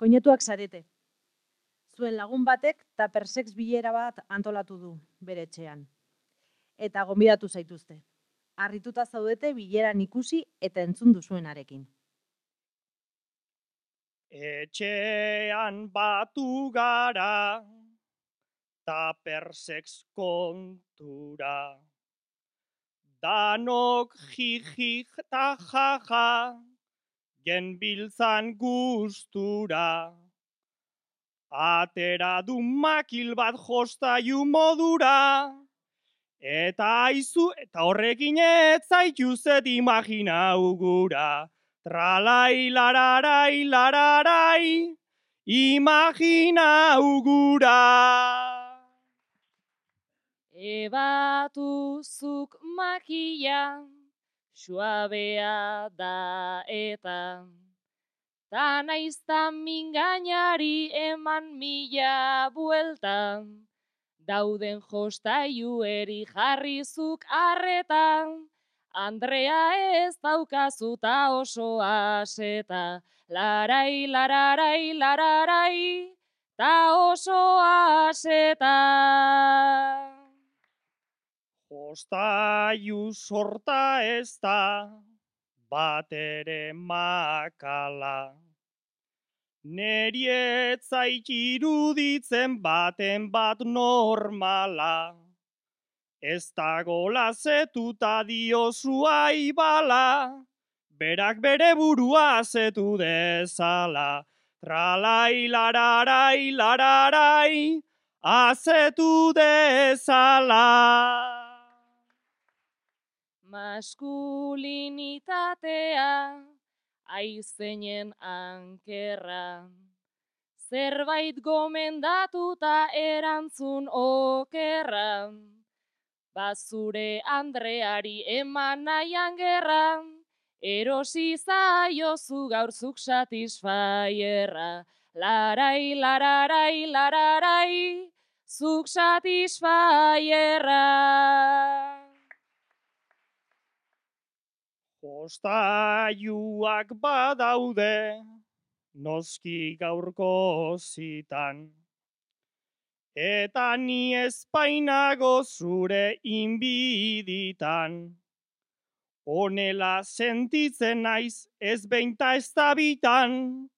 Koinetuak zarete. Zuen lagun batek tuppersex bilera bat antolatu du bere etxean. Eta gonbidatu zaituzte. Harrituta zaudete bileran ikusi eta entzun duzuenarekin. Etxean batu gara, tuppersex kontura. Danok jijik eta jaja, genbiltzan gustura. Atera du makil bat jostailu modura, eta aizu eta horrekin ez zaituzet imaginau gura. Tralai, lararai, lararai, imaginau gura. Ebatuzuk makila, suabea da eta, ta naizta mingainari eman mila buelta, dauden jostailueri jarrizuk arretan, Andrea ez daukazuta oso aseta, larai, lararai, lararai, ta oso aseta. Jostailu sorta ez da, bat ere makala. Neri ez zait iruditzen baten bat normala. Ez dagola zetuta diozu aibala, berak bere burua zetu dezala. Tralai, lararai, lararai, azetu dezala. Maskulinitatea, aizeinen ankerra, zerbait gomendatuta erantzun okerra, bazure Andreari eman nahian gerra, erosi zaiozu gaurzuk satisfaierra. Larai, lararai, lararai, zuk satisfaierra. Jostailuak badaude, noski gaurko zitan. Eta ni espainago zure inbiditan. Honela sentitzen naiz ez beinta ez da bitan,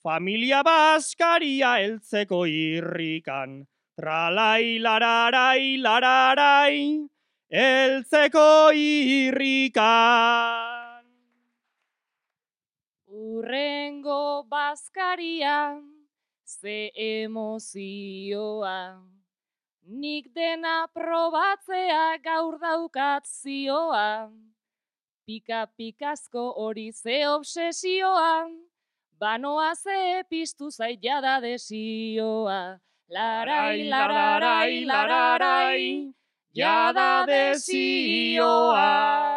familia baskaria heltzeko irrikan. Tralai, lararai, lararai, heltzeko irrikan. Urrengo bazkaria, ze emozioa, nik dena probatzea gaur daukat zioa, pika-pikazko hori ze obsesioa, banoa ze piztu zait jada desioa. Larai, lararai, lararai, jada desioa.